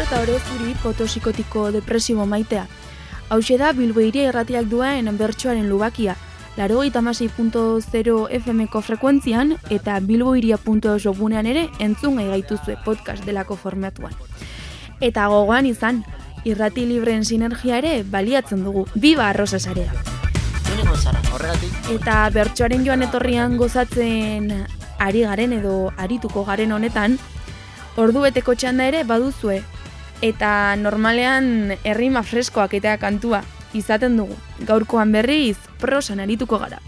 eta ore zuri potosikotiko depresibo maitea. Hauxe da Bilbo Hiria Irratiak duen bertsoaren lubakia, 96.0 FM-ko frekuentzian eta bilbohiria.eus webgunean ere entzun gai gaituzue podcast delako formatuan. Eta gogoan izan, irrati libreen sinergia ere baliatzen dugu, biba arrosa sarea. Eta bertsoaren joan etorrian gozatzen ari garen edo arituko garen honetan, ordubeteko txanda ere baduzue, eta normalean errima freskoak eta kantua izaten dugu. Gaurkoan berriz prosan arituko gara.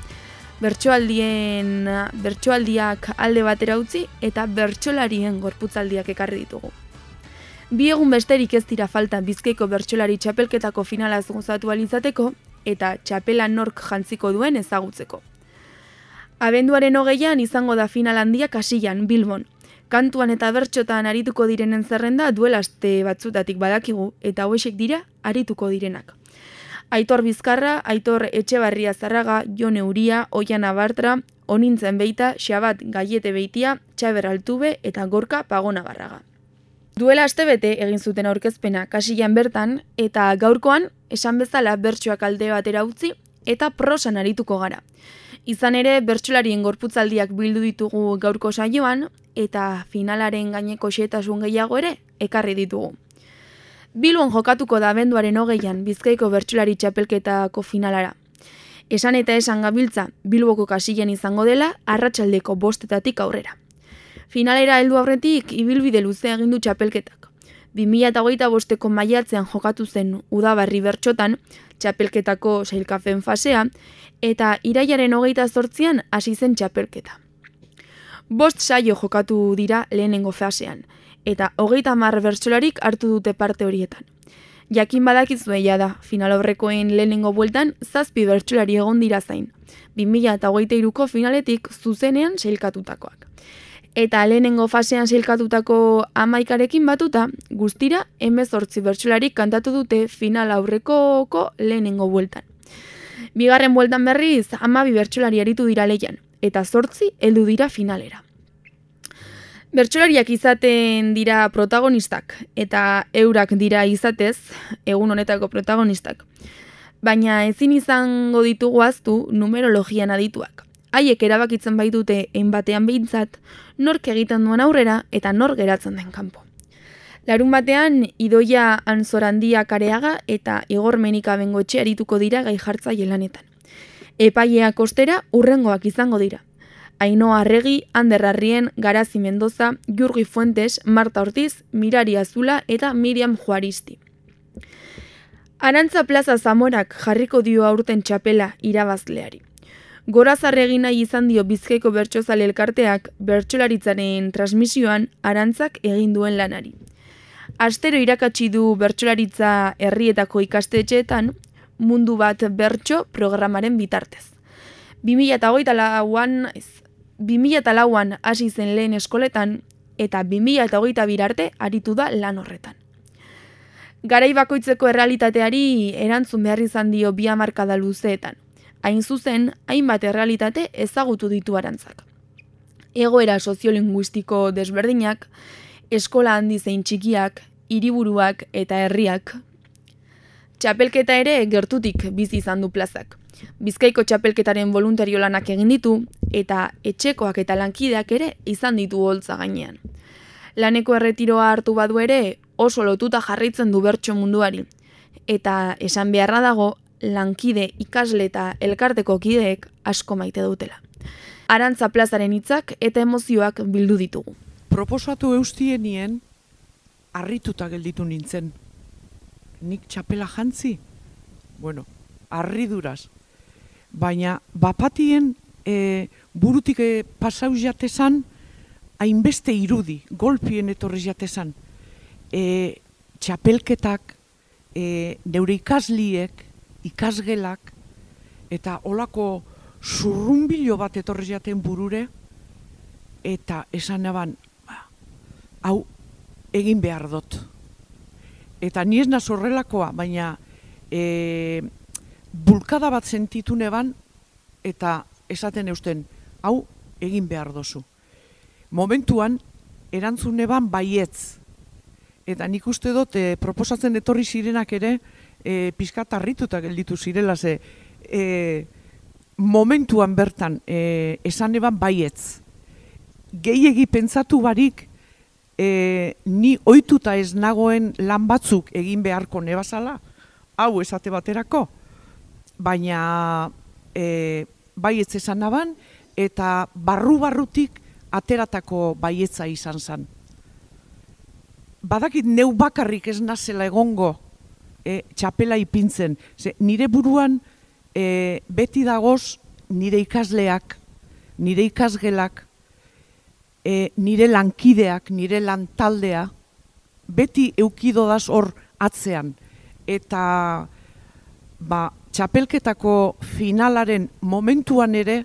Bertsoaldiak alde batera utzi eta bertsolarien gorputzaldiak ekarri ditugu. Bi egun besterik ez dira falta Bizkaiko bertsolari txapelketako finalaz gozatu alizateko eta txapela nork jantziko duen ezagutzeko. Abenduaren 20an izango da final handia Kasillan, Bilbon. Kantuan eta bertxotan arituko direnen zerrenda duela aste batzutatik badakigu eta hauexek dira arituko direnak. Aitor Bizkarra, Aitor Etxebarria Zarraga, Jon Euria, Oian Abartra, Onintzen Beita, Xabat Gaiete Beitia, Txaber Altube eta Gorka Pagona Barraga. Duela astebete egin zuten aurkezpena Kasillan bertan eta gaurkoan esan bezala bertsoak alde batera utzi eta prosan arituko gara. Izan ere bertsolarien gorputzaldiak bildu ditugu gaurko saioan eta finalaren gaineko xehetasun gehiago ere ekarri ditugu. Bilbon jokatuko da abenduaren 20an Bizkaiko bertsolari txapelketako finalara. Esan eta esan gabiltza Bilboko Kasillan izango dela arratsaldeko 5:00 aurrera. Finalera heldu aurretik ibilbide luzea egin du txapelketak. 2025ko maiatzean jokatu zen udabarri bertsotan txapelketako sailkapen fasea eta irailaren 28an hasi zen txapelketa. 5 saio jokatu dira lehenengo fasean eta 30 bertsolarik hartu dute parte horietan. Jakin badakizue da, final aurrekoen lehenengo bueltan 7 bertsolari egon dira zain, 2023ko finaletik zuzenean sailkatutakoak. Eta lehenengo fasean sailkatutako 11rekin batuta, guztira 18 bertsolarik kantatu dute final aurrekoko lehenengo bueltan. Bigarren bueltan berriz 12 bertsolari aritu dira lehian, eta 8 heldu dira finalera. Bertsolariak izaten dira protagonistak, eta eurak dira izatez, egun honetako protagonistak. Baina ezin izango ditugu ahaztu numerologian adituak. Haiek erabakitzen baitute batean behintzat, nork egiten duen aurrera eta nor geratzen den kanpo. Larunbatean Idoia Anzorandia Kareaga eta Igor Menika Bengoetxe arituko dira gai jartzaile lanetan. Epaileak ostera hurrengoak izango dira. Ainhoa Arregi, Ander Arrien, Garazi Mendoza, Jurgi Fuentes, Marta Ortiz, Mirari Azula eta Miriam Juaristi. Arantza Plaza Zamorak jarriko dio aurten txapela irabazleari. Gorazarre egin nahi izan dio Bizkaiko bertsozale elkarteak bertsolaritzaren transmisioan Arantzak egin duen lanari. Astero irakatsi du bertsolaritza herrietako ikastetxeetan Mundu bat bertso programaren bitartez. 2004an hasi zen lehen eskoletan eta 2022 arte aritu da lan horretan. Garai bakoitzeko errealitateari erantzun behar izan dio 2 hamarkada luzeetan. Hain zuzen, hainbat errealitate ezagutu ditu Arantzak. Egoera soziolinguistiko desberdinak, eskola handi zein txikiak, hiriburuak eta herriak. Txapelketa ere gertutik bizi izan du plazak. Bizkaiko txapelketaren voluntario lanak egin ditu eta etxekoak eta lankideak ere izan ditu holtza gainean. Laneko erretiroa hartu badu ere oso lotuta jarraitzen du bertso munduari. Eta esan beharra dago, lankide, ikasle eta elkarteko kideek asko maite dutela. Arantza plazaren hitzak eta emozioak bildu ditugu. Proposatu eustienien harrituta gelditu nintzen. Nik txapela jantzi? Bueno, harriduraz. Baina bapatien burutik pasauz jatezan, hainbeste irudi, golpien etorri jatezan. Txapelketak, neure ikasliek, ikasgelak, eta olako zurrumbilo bat etorri jaten burure, eta esan eban, hau egin behar dut. Eta ni ez naz horrelakoa, baina bulkada bat sentitu neban, eta esaten eusten, hau egin behar dozu. Momentuan, erantzun eban baietz. Eta nik uste dut proposatzen etorri zirenak ere pixkat harrituta gelditu zirela ze momentuan bertan esan eban baietz. Gehiegi pentsatu barik ni ohituta ez nagoen lan batzuk egin beharko nebazala, hau esate baterako, baina baietz esan naban eta barru-barrutik ateratako baietza izan zen. Badakit neu bakarrik ez nazela egongo txapela ipintzen. Nire buruan beti dagoz nire ikasleak, nire ikasgelak, nire lankideak, nire lantaldea, beti eukidodaz hor atzean. Eta txapelketako finalaren momentuan ere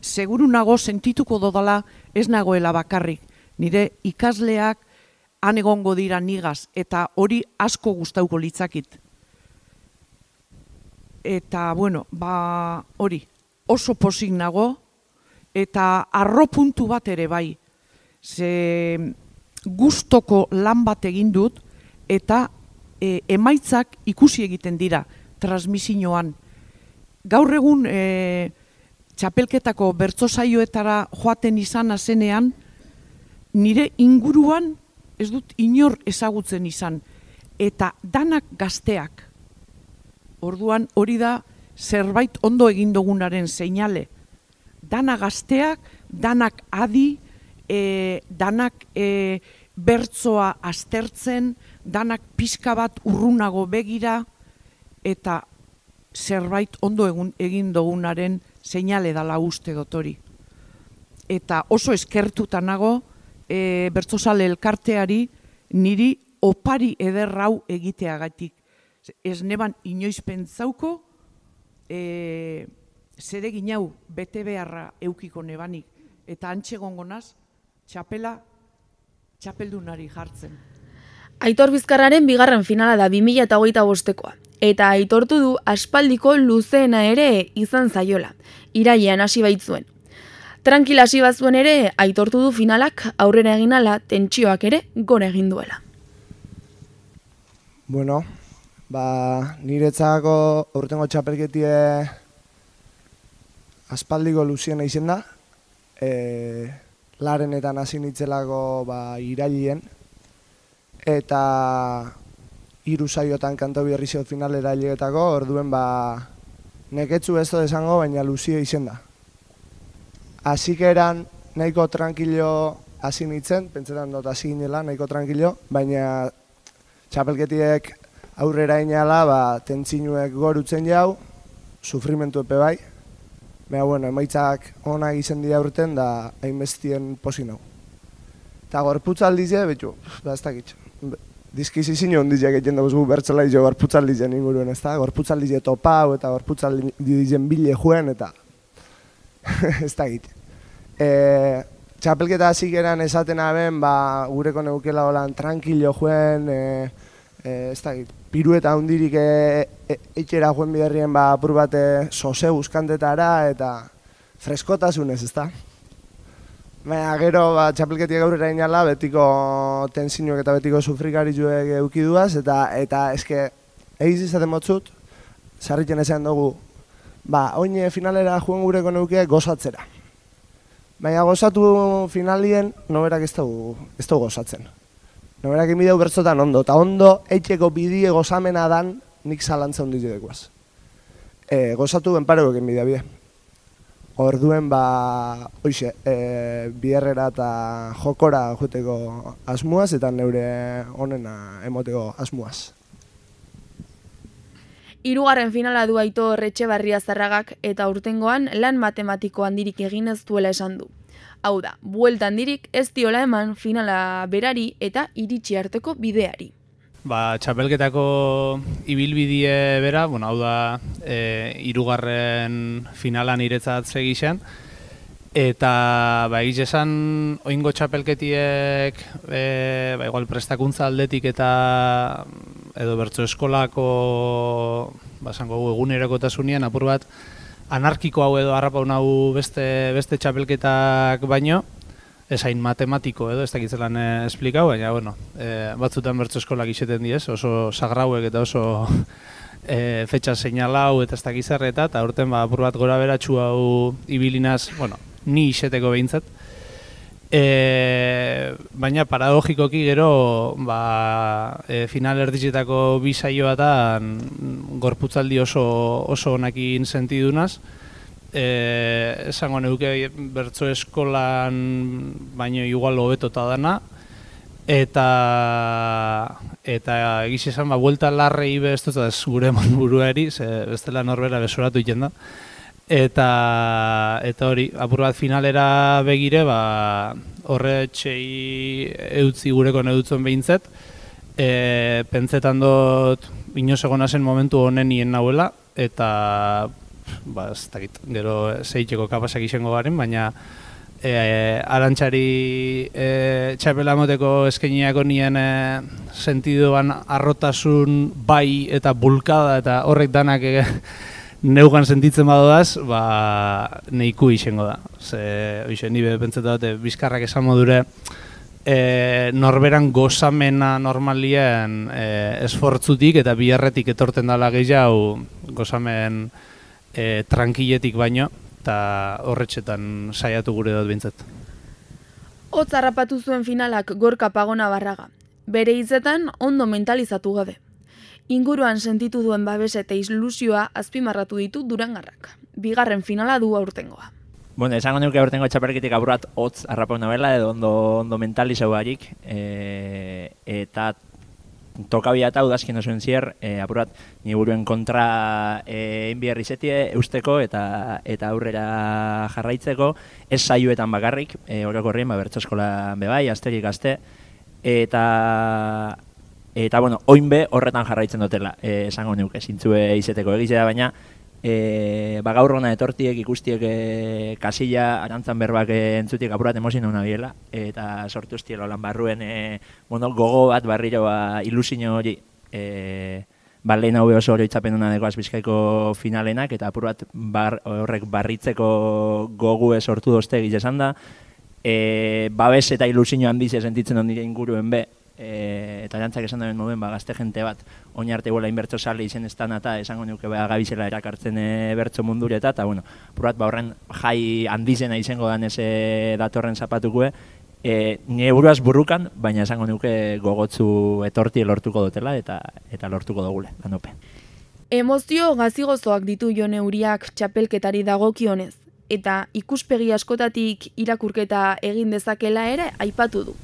seguru nago sentituko dodala ez nagoela bakarrik. Nire ikasleak han egongo dira nigaz, eta hori asko gustauko litzakit. Eta, bueno, hori, oso pozik nago, eta arro puntu bat ere bai. Ze gustoko lan bat egin dut, eta emaitzak ikusi egiten dira, transmisioan. Gaur egun txapelketako bertso saioetara joaten izan azenean, nire inguruan ez dut inor ezagutzen izan, eta danak gazteak. Orduan hori da zerbait ondo egin dugunaren seinale. Dana gazteak, danak adi, danak bertsoa aztertzen, danak pixka bat urrunago begira, eta zerbait ondo egin dugunaren seinale dala uste dut hori. Eta oso eskertuta nago, bertsozale elkarteari niri opari ederrau egiteagatik. Ez neban inoiz pentsauko zeregin hau bete beharra eukiko nebanik. Eta antxe gongonaz, txapeldunari jartzen. Aitor Bizkarraren bigarren finala da 2025koa. Eta aitortu du aspaldiko luzeena ere izan zaiola. Irailean hasi baitzuen. Tranquila hasi bazuen ere, aitortu du finalak aurrera egin ala, tentsioak ere gora egin duela. Bueno, niretzako aurtengo txapelketie aspaldiko luziena izen da. Larenetan hasi nitzelako irailean. Eta 3 saiotan kanto berrizio finalera hilegetako, orduen neketzu ez dut esango, baina luzio izen da. Hasikeran nahiko tranquilo hasi nintzen, pentsetan dut hasi ginela nahiko tranquilo, baina txapelketiek aurrera inala, tentzinuek gorutzen jau, sufrimentu epe bai. Baina, bueno, emaitzak onak izen dira urten da hainbestien posi nau. Eta gorputzaldize, betxu, ez dakit. Dizkizizin ondizek egiten dugu bertzelai jo gorputzaldizen inguruen, ez da? Gorputzaldize topau eta gorputzaldizen bile joen, eta ez dakit. Txapelketa hasik eran esaten aben, gureko neukela holan tranquilo joen, ez dakit, pirueta hundirik etxera joen biderrien apur bate sose buskantetara eta freskotasunez, ez da? Baina gero txapelketiak aurrera inala betiko tensinuek eta betiko sufrikarizuek eukiduaz eta eske egiz izaten motzut, sarritzen esan dugu, oin finalera joen gureko neuke gozatzera. Baina gozatu finalien noberak ez dugu gozatzen. Noberak inbideu bertzotan ondo, eta ondo eitxeko bidie gozamena dan nik zalantza hondiz dekoaz. Gozatu benpareko inbidea bide. Orduen hoxe, biherrera eta jokora joateko asmuaz eta neure onena emoteko asmuaz. 3. finala du Aitor Etxebarria-Zarragak eta aurtengoan lan matematiko handirik egin ez duela esan du. Hau da, buelta handirik ez diola eman finala berari eta iritsi arteko bideari. Txapelketako ibilbidie bera, hau da 3. finalan niretzat segixen. Eta egiz esan oingo txapelketiek igual prestakuntza aldetik eta edo bertso eskolako egunerokotasunean apur bat anarkiko hau edo harrapau nahu beste txapelketak baino. esain matematiko edo, ez dakitzelan esplikau, baina, bueno, batzutan bertso eskolak iseten diez, oso sagrauek eta oso fetxa seinalau eta ez dakizarreta, eta aurten apur bat gora beratxu hau ibilinaz, bueno, ni iseteko behintzat. Baina paradogikoki gero final erditzetako bi saioatan gorputzaldi oso onakin sentidunaz. Esango neuke bertso eskolan baino igual hobetota dana. Eta egiz esan, buelta larrei ez dut ez gure buruari, bestela norbera besoratu iten da. Eta hori, apur bat finalera begire, horretxei eutzi gureko neutzen behintzet. Pentsetan dut inoz egon zen momentu honen nien nahuela, eta ez dakit, gero zeiteko kapasak izango garen, baina Arantxari txapela moteko eskainiako nien sentidoan arrotasun bai eta bulkada eta horrek danak neugan sentitzen badoaz, neiku izango da. Nire pentsatu dute, bizkarrak esan modure norberan gozamena normalien esfortzutik eta biharretik etorten dala gehiago gozamen tranquiletik baino, eta horretxetan saiatu gure dut bintzat. Hotz harrapatu zuen finalak Gorka Pagona Barraga. Bere hitzetan ondo mentalizatu gabe. Inguruan sentitu duen babes eta ilusioa azpimarratu ditu Durangarrak. Bigarren finala du aurtengoa. Bueno, esango nuke aurtengo txapelketik apurat hotz harrapau nabela edo ondo mentalizau barik. Eta tokabia eta udazkin osuen zier, apurat ni buruen kontra enbiarri zetie eusteko eta aurrera jarraitzeko, ez saioetan bakarrik, orokorrien bertso eskolan bebai, asterik aste, eta bueno, oinbe horretan jarraitzen dutela, esango nuke, zintzue izeteko egizea, baina gaur hona etortiek ikustiek kasilla arantzan berbak entzutik apurat emozien hona biela, eta sortu estielo lan barruen gogo bat barriro ilusio hori lehen hau oso oroitzapen hona dekoaz Bizkaiko finalenak, eta apur bat horrek barritzeko gogu sortu dozte egiz da, babes eta ilusio handiz sentitzen hon nire inguruen be, eta jantzak esan duen moden gazte jente bat oinarte guela inbertso sale izen ez eta esango nuke gabizela erakartzen bertso mundureta, eta bueno, purat horren jai handizena izango dan eze datorren zapatukue, nire buruaz burrukan, baina esango nuke gogotzu etorti lortuko dutela eta lortuko dugule, lanope. Emozio gazigozoak ditu Jone Uriak txapelketari dagokionez, eta ikuspegi askotatik irakurketa egin dezakela ere aipatu du.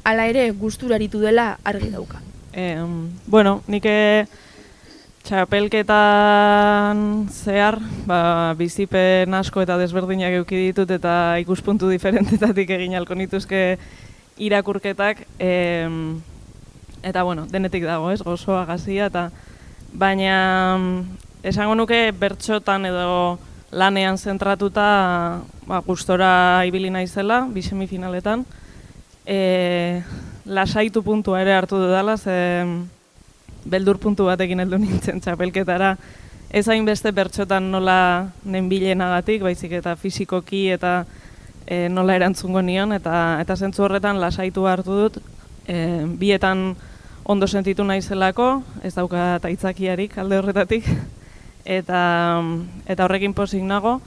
Hala ere, gusturaritu dela argi dauka. Bueno, nik txapelketan zehar, bizipen asko eta desberdinak eduki ditut eta ikuspuntu diferentetatik egin alko nituzke irakurketak. Eta bueno, denetik dago, gozoa, gazia, baina esango nuke bertxotan edo lanean zentratuta gustora ibili naizela, bi semifinaletan. Lasaitu puntua ere hartu dudala, beldur puntu batekin heldu nintzen txapelketara. Ez hainbeste bertxotan nola nenbilenagatik, baizik eta fisikoki eta nola erantzungo nion, eta zentzu horretan lasaitu hartu dut. Bietan ondo sentitu naizelako, ez dauka aitzakiarik alde horretatik, eta horrekin pozik nago.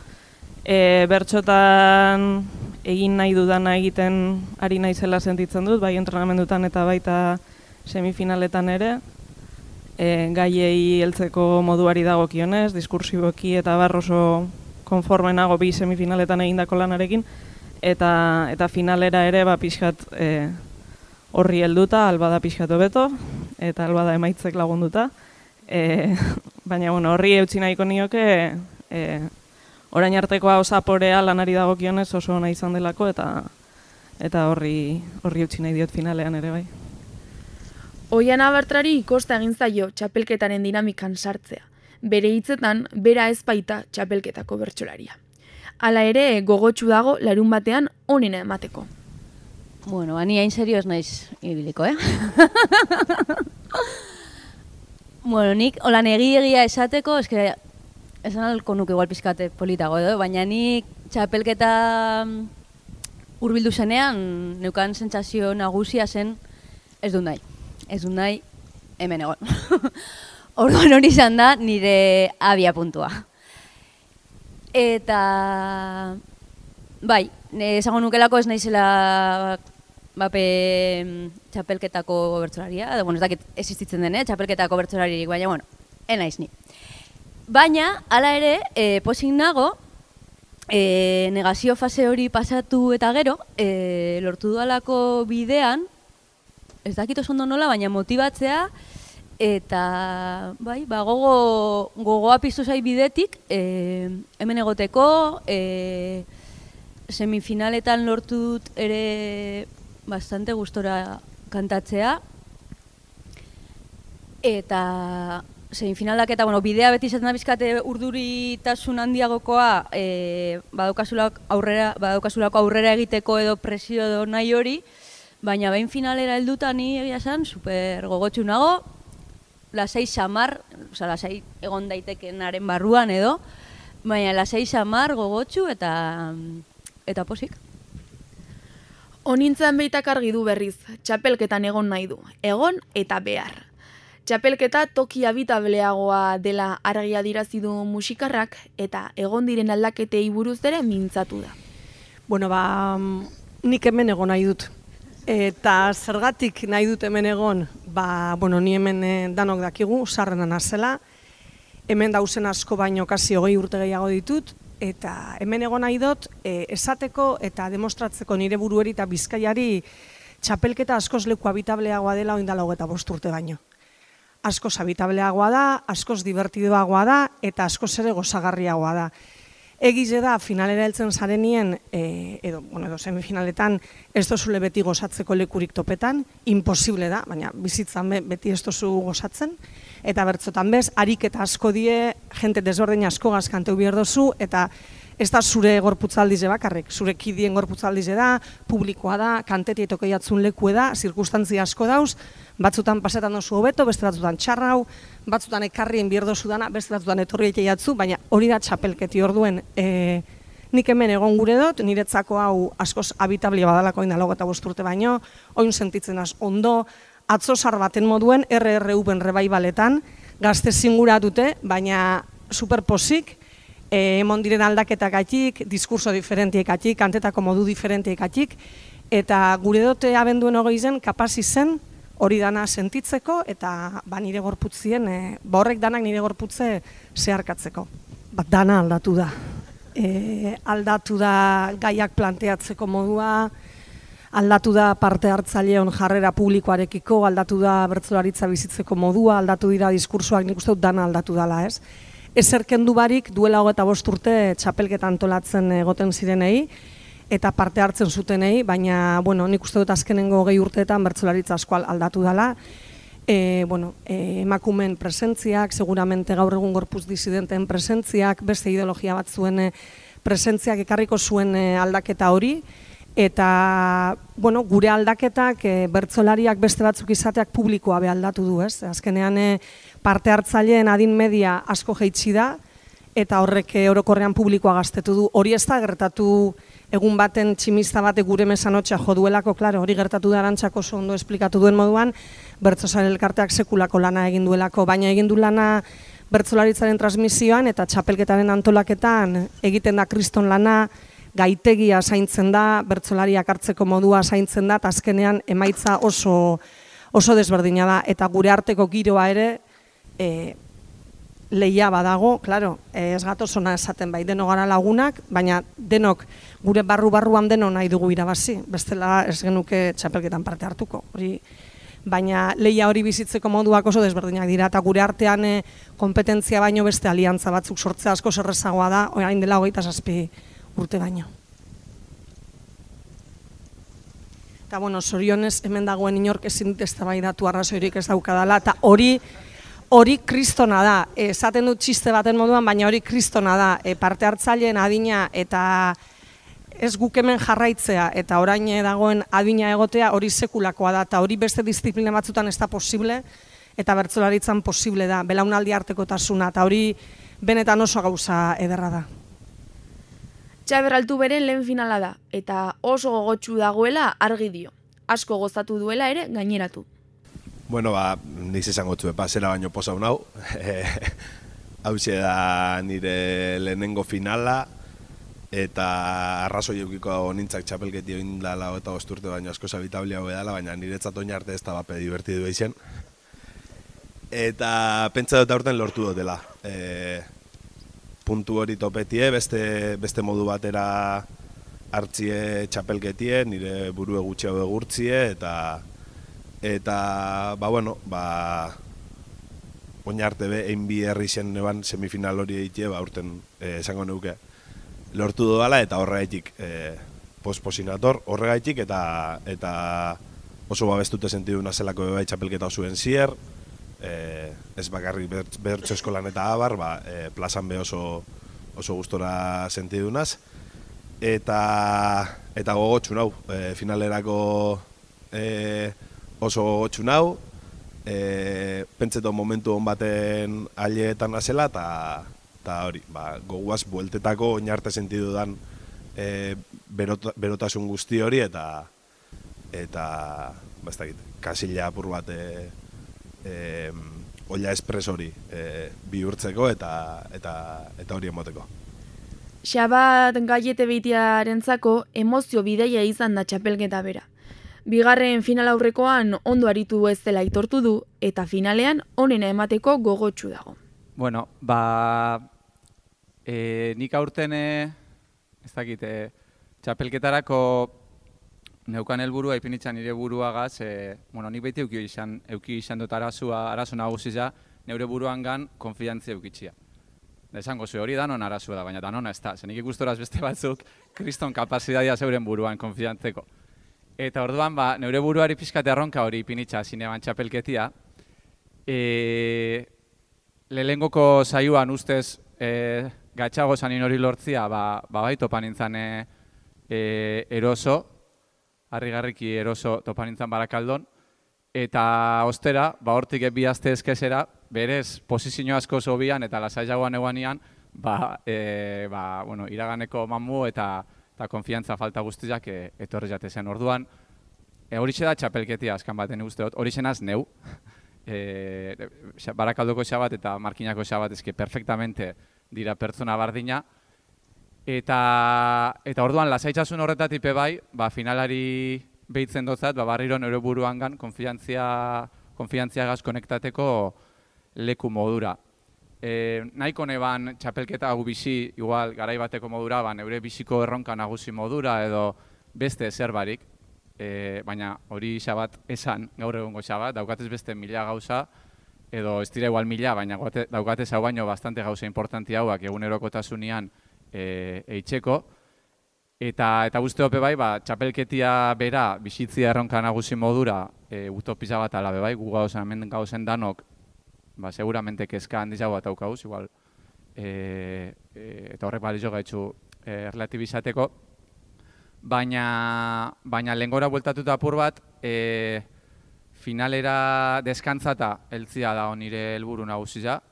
Bertxotan egin nahi dudana egiten ari naizela sentitzen dut, bai entrenamendutan eta baita semifinaletan ere. Gaiei heltzeko moduari dagokionez, diskursiboki eta oso konforme nago bi semifinaletan egindako lanarekin, eta finalera ere pixkat horri helduta, albada pixkat hobeto, eta albada emaitzek lagunduta. Baina horri eutsi nahiko nioke, orain artekoa osaporea lanari dagokionez oso ona izan delako, eta horri eutsi nahi diot finalean ere bai. Oiana Bartrari kosta egin zaio txapelketaren dinamikan sartzea. Bere hitzetan, bera ez baita txapelketako bertsolaria. Hala ere, gogotsu dago larun batean onena emateko. Bueno, ani hain serioz naiz ibiliko, Bueno, nik holan egia esateko, esan alko nuke igual pizkate politago edo, baina nik txapelketa hurbildu zenean, neukan sentsazio nagusia zen, ez dut nahi. Ez dut nahi, hemen egon. Orduan hori izan da nire abia puntua. Eta, bai, esango nukelako ez naizela txapelketako bertsolaria, ez dakit existitzen den, txapelketako bertsolaririk, baina, bueno, naiz ni. Baina, hala ere, pozik nago, negazio fase hori pasatu eta gero, lortu dudalako bidean, ez dakit oso ondo nola, baina motibatzea, eta bai, gogoa piztu zai bidetik, hemen egoteko, semifinaletan lortut ere bastante gustora kantatzea, eta semifinalak eta bidea beti izaten da bizkate urduritasun handiagokoa, badaukasulako aurrera egiteko edo presio edo nahi hori, baina behin finalera helduta ni egia esan super gogotsu nago, lasai samar, lasai egon daitekenaren barruan edo, baina lasai samar gogotsu eta posik. Honintzen behitak argi du berriz, txapelketan egon nahi du, egon eta behar. Txapelketa toki habitableagoa dela argi adirazi du musikarrak eta egon diren aldaketei buruz ere mintzatu da. Bueno, nik hemen egon nahi dut. Eta zergatik nahi dut hemen egon, ni hemen danok dakigu, sarrena nazela. Hemen dauzen asko baino kasi 20 urte gehiago ditut. Eta hemen egon nahi dut, esateko eta demostratzeko nire burueri eta Bizkaiari txapelketa askoz leku habitableagoa dela oindala 25 urte baino. Askoz habitableagoa da, askoz divertidoagoa da eta askoz ere gozagarriagoa da. Egize da, finalera heltzen zarenien, edo semifinaletan, ez dozule beti gozatzeko lekurik topetan, imposible da, baina bizitzan beti ez dozu gozatzen, eta bertzotan bez, ariketa asko die, jente desberdin asko gazkanteu behar dozu, eta ez da zure gorputzaldize bakarrik, zure kidien gorputzaldize da, publikoa da, kanteti etokeiatzun leku da, zirkustantzia asko dauz, batzutan pasetan dozu hobeto, beste batzutan txarrau, batzutan ekarrien behar dozu dana, beste batzutan etorri eteiatzu, baina hori da txapelketi orduen. Nik hemen egon gure dut, niretzako hau askoz habitablia badalako indalago eta 5 urte baino, oin sentitzen az ondo, atzosar baten moduen, RRU-ben rebaibaletan, gazte zingura dute, baina superposik, emon diren aldaketakatik, diskurso diferentiekatik, kantetako modu diferentiekatik, eta gure dute abenduen 20 kapaz izen hori dana sentitzeko, eta nire gorputzien, horrek danak nire gorputze zeharkatzeko. Dana aldatu da. Aldatu da gaiak planteatzeko modua, aldatu da parte hartzaileon jarrera publikoarekiko, aldatu da bertsolaritza bizitzeko modua, aldatu dira diskursoak, nik uste dut dana aldatu dela, ez? Ezerkendu barik duela 25 urte txapelketa antolatzen egoten zirenei, eta parte hartzen zutenei, baina nik uste dut azkenengo 20 urteetan bertsolaritza asko aldatu dela. Emakumeen presentziak, seguramente gaur egun gorputz disidenten presentziak, beste ideologia bat zuen presentziak ekarriko zuen aldaketa hori, eta gure aldaketak bertsolariak beste batzuk izateak publikoa aldatu du, ez? Azkenean parte hartzaileen adin media asko jaitsi da, eta horrek orokorrean publikoa gaztetu du. Hori ez da gertatu egun baten tximista batek gure mesanotxa jo duelako, klaro, hori gertatu da Arantxak oso ondo esplikatu duen moduan, bertsozale elkarteak sekulako lana egin duelako, baina egin du lana bertsolaritzaren transmisioan eta txapelketaren antolaketan egiten da kriston lana, gaitegia zaintzen da, bertsolariak hartzeko modua zaintzen da, eta azkenean emaitza oso desberdina da, eta gure arteko giroa ere lehia badago, klaro, ez gatoz ona esaten bai, denok gara lagunak, baina denok gure barruan denok nahi dugu irabazi, bestela ez genuke txapelketan parte hartuko. Baina lehia hori bizitzeko moduak oso desberdinak dira, eta gure artean kompetentzia baino beste aliantza batzuk sortzea asko zerrezagoa da, orain dela 27 urte baino. Eta zorionez hemen dagoen inork ezin dut eztabaidatu arrazoirik ez daukadala, eta hori kristona da, esaten dut txiste baten moduan, baina hori kristona da, parte hartzaileen adina eta ez guk hemen jarraitzea eta orain dagoen adina egotea hori sekulakoa da, eta hori beste disiplina batzutan ez da posible, eta bertsolaritzan posible da, belaunaldi artekotasuna, eta hori benetan oso gauza ederra da. Txaber Altuberen lehen finala da, eta oso gogotsu dagoela argi dio. Asko gozatu duela ere gaineratu. Bueno, niz esango txue, zera baino posa hau. Hauxe da nire lehenengo finala, eta arrazoi eukiko nintzak txapelketi egin dala eta osturte baino asko zabitablia hau edala, baina niretzat oin arte ez da bape divertidu eizen. Eta pentsa dut aurten lortu dutela. Puntu hori topetie, beste modu batera hartzie txapelketie, nire burue gutxiago egurtzie, eta oin arte egin bi herri zen neban semifinal hori egitea, aurten esango neuke lortu dudala, eta horregaitik posposinator, horregaitik eta oso babestute sentidu nazelako bebai txapelketa osuen zier, ez bakarrik bertso eskolan eta abar, plazan be oso gustora sentidunaz, eta gogotxu nau, finalerako oso gogotxu nau, pentseto momentu hon baten aileetan nazela, eta hori, goguaz bueltetako oinarte sentidu dan berotasun guzti hori, eta kasila apur bat olla espres hori bihurtzeko eta hori emoteko. Xabat Gaiete Beitiarentzako emozio bidaia izan da txapelketa bera. Bigarren final aurrekoan ondo aritu ez dela aitortu du, eta finalean onena emateko gogotsu dago. Bueno, nik aurten, ez dakit, txapelketarako neukan helburua ipinitzen nire buruagaz, nik beti euki izan dut arazo nagusia, neure buruan gan konfiantzia eukitxia. Esango zu hori danon arazua da, baina danona ez da. Zenik ikustoraz beste batzuk, kriston kapazitatea zeuren buruan konfiantzeko. Eta orduan, neure buruari pixkate arronka hori ipinitza zineban txapelketia. Lehengoko saioan ustez gatxago zanin hori lortzia, bai topan nintzen eroso, harrigarriki eroso topan nintzen Barakaldon. Eta ostera, hortik bi aste ezkezera, berez posizio asko zobian eta lasaiagoan eguanian, iraganeko mamu eta konfiantza falta guztiak etorri jate zen. Orduan, horixe da txapelketia azkan baten uste dut, horixe naz neu. Barakaldoko xabat eta Markinako xabat ezke perfectamente dira pertsona bardina. Eta orduan, lasaitzasun horretatik bai, finalari behitzen dotzat, barriro neure buruan gan konfiantziagaz konektateko leku modura. Nahiko neban txapelketa gu bizi, igual garai bateko modura, neure biziko erronka nagusi modura edo beste zerbarik, baina hori xabat esan, gaur egungo xabat, daukatez beste 1000 gauza, edo ez dira igual 1000, baina daukatez hau baino bastante gauza importanti hauak egunerokotasunean eitzeko. Eta guzti hope bai, txapelketia bera bizitzia erronka nagusi modura utopisa bat ala bai, gu gauzen danok seguramente kezka handizago bat aukauz, igual, eta horrek balizo gaitzu relatibizateko. Baina lehengora bueltatuta apur bat, finalera deskantzata heltzia da nire helburu nagusia.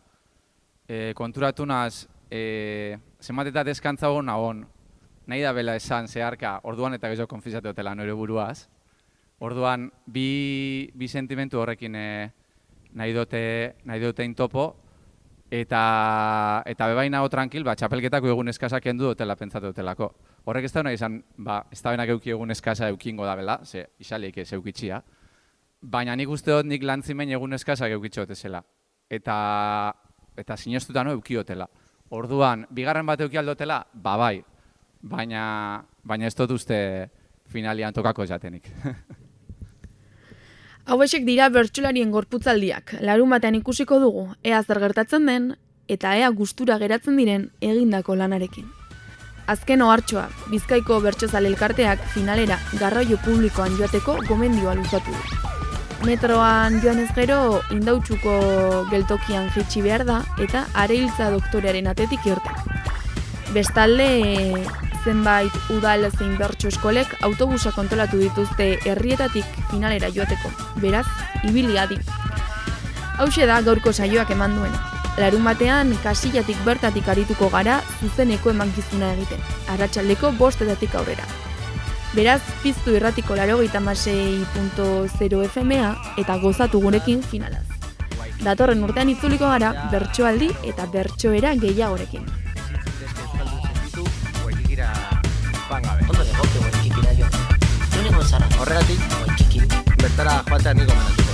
Konturatu naz, zenbat eta deskantza hon, nahi da bela esan zeharka, orduan eta gehiago konfizatu dutela nire buruaz. Orduan, bi sentimentu horrekin nahi dute intopo, eta bebain nago tranquil, txapelketako egun eskazak endu dutela pentsatu dutelako. Horrek ez da nahi izan, ez da benak euki egun eskaza eukingo da bela, ze isaliek ez eukitxia, baina nik uste dut nik lantzimen egun eskazak eukitxo dutezela. Eta sinestuta no eukiotela. Orduan, bigarren bat euki aldotela, bai. Baina ez dut uste finalian tokako jatenik. Hauexek dira bertsolarien gorputzaldiak. Larun batean ikusiko dugu, ea zer gertatzen den, eta ea gustura geratzen diren egindako lanarekin. Azken ohartxoa, Bizkaiko Bertsozale Elkarteak finalera garraio publikoan joateko gomendioa luzatu du. Metroan joan ez gero, Indautxuko geltokian jaitsi behar da, eta Areiltza doktorearen atetik irten. Bestalde, zenbait udal zein bertso eskolek autobusa kontrolatu dituzte herrietatik finalera joateko. Beraz, ibili adi. Hauxe da gaurko saioak eman duena. Larun batean kasillatik bertatik arituko gara zuzeneko emankizuna egiten, arratsaldeko 5:00 aurrera. Beraz, piztu irratiko 96.0 FM-a eta gozatu gurekin finalaz. Datorren urtean itzuliko gara bertsoaldi eta bertsoera gehiagorekin. Horregatik, bertara joatea niko menatu.